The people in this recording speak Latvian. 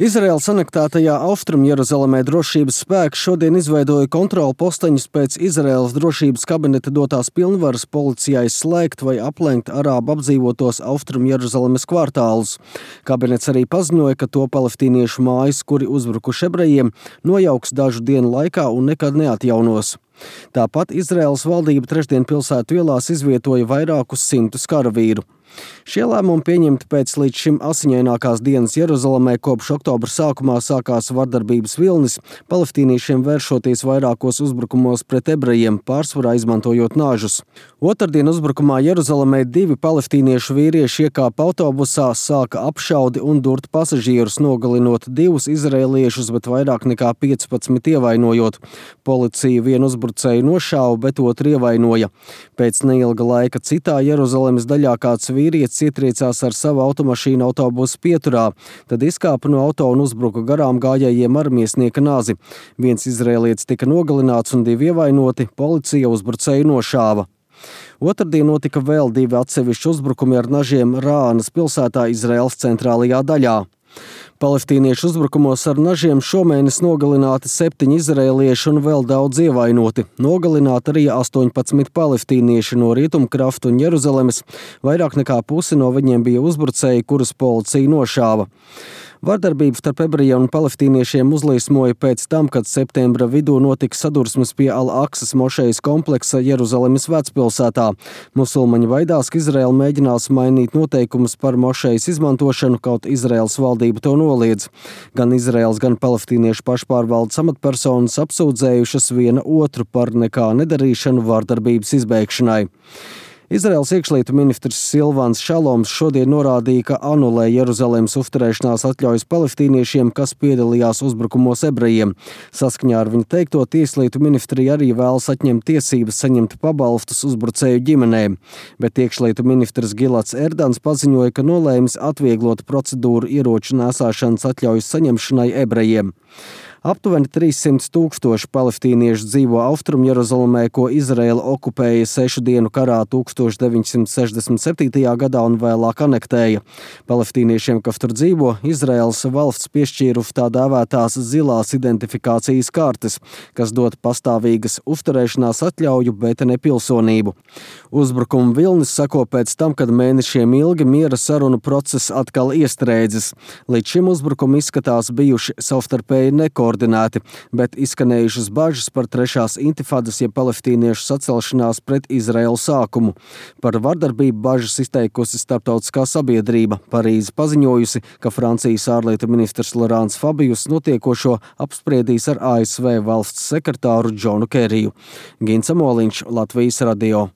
Izraēlas anektētajā Austrumjeruzalemē drošības spēki šodien izveidoja kontrolu posteņus pēc Izraēlas drošības kabineta dotās pilnvaras policijai slēgt vai aplenkt arābu apdzīvotos Austrumjeruzalemes kvartālus. Kabinets arī paziņoja, ka to palestīniešu mājas, kuri uzbrukuši ebrejiem, nojauks dažu dienu laikā un nekad neatjaunos. Tāpat Izraēlas valdība trešdien pilsētu ielās izvietoja vairākus simtus karavīru. Šie lēmumi pieņemti pēc līdz šim asiņainākās dienas Jeruzalemē, kopš oktobra sākumā sākās vardarbības vilnis, palestīniešiem vēršoties vairākos uzbrukumos pret ebrejiem, pārsvarā izmantojot nāžus. Otrdien uzbrukumā Jeruzalemē 2 palestīniešu vīrieši iekāpa autobusā, sāka apšaudi un durt pasažierus, nogalinot 2 izraēliešus, bet vairāk nekā 15 ievainojot. Policija vienu uzbrucēju nošāva, bet otru ievainoja. Pēc neilga laika citā Jeruzalemes daļā kāds vīrietis ietriecās ar savu automašīnu autobusu pieturā, tad izkāpa no auto un uzbruka garām gājējiem ar miesnieka nāzi. Viens izraēlietis tika nogalināts un 2 ievainoti, policija uzbrucēju nošāva. Otrdien notika vēl 2 atsevišķi uzbrukumi ar nažiem Rānas pilsētā Izraēlas centrālajā daļā. Palestīniešu uzbrukumos ar nažiem šomēnes nogalināti 7 izraēlieši un vēl daudz ievainoti. Nogalināti arī 18 palestīnieši no Rietumkrasta un Jeruzalemes. Vairāk nekā pusi no viņiem bija uzbrucēji, kurus policija nošāva. Vardarbība starp ebrejiem un palestīniešiem uzliesmoja pēc tam, kad septembra vidū notika sadursmes pie Al-Aksas mošejas kompleksa Jeruzalemes vecpilsētā. Musulmaņi baidās, ka Izraēla mēģinās mainīt noteikumus par mošejas izmantošanu, kaut Izraēlas valdība to noliedz. Gan Izraēlas, gan palestīniešu pašpārvaldes amatpersonas apsūdzējušas viena otru par nekā nedarīšanu vardarbības izbeigšanai. Izraēlas iekšlietu ministrs Silvans Šaloms šodien norādīja, ka anulē Jeruzalemes uzturēšanās atļaujas palestīniešiem, kas piedalījās uzbrukumos ebrejiem. Saskaņā ar viņu teikto, tieslietu ministrija arī vēlas atņemt tiesības saņemt pabalstus uzbrucēju ģimenēm. Bet iekšlietu ministrs Gilats Erdans paziņoja, ka nolēmis atvieglot procedūru ieroču nēsāšanas atļaujas saņemšanai ebrejiem. Aptuveni 300 000 palestīniešu dzīvo Austrumjeruzalemē, ko Izraēla okupēja 6 dienu karā 1967. gadā un vēlāk anektēja. Palestīniešiem, kas tur dzīvo, Izraēlas valsts piešķīrusi tā dēvētās zilās identifikācijas kartes, kas dod pastāvīgas uzturēšanās atļauju, bet ne pilsonību. Uzbrukuma vilnis seko pēc tam, kad mēnešiem ilgi miera sarunu process atkal iestrēdzis. Līdz šim uzbrukumi izskatās bijuši savstarpēji nekoordinēti, bet izskanējušas bažas par trešās intifadas, jeb palestīniešu sacelšanās pret Izraēlu sākumu. Par vardarbību bažas izteikusi starptautiskā sabiedrība. Parīze paziņojusi, ka Francijas ārlietu ministrs Laurents Fabius notiekošo apspriedīs ar ASV valsts sekretāru Džonu Keriju. Gins Amoliņš, Latvijas radio.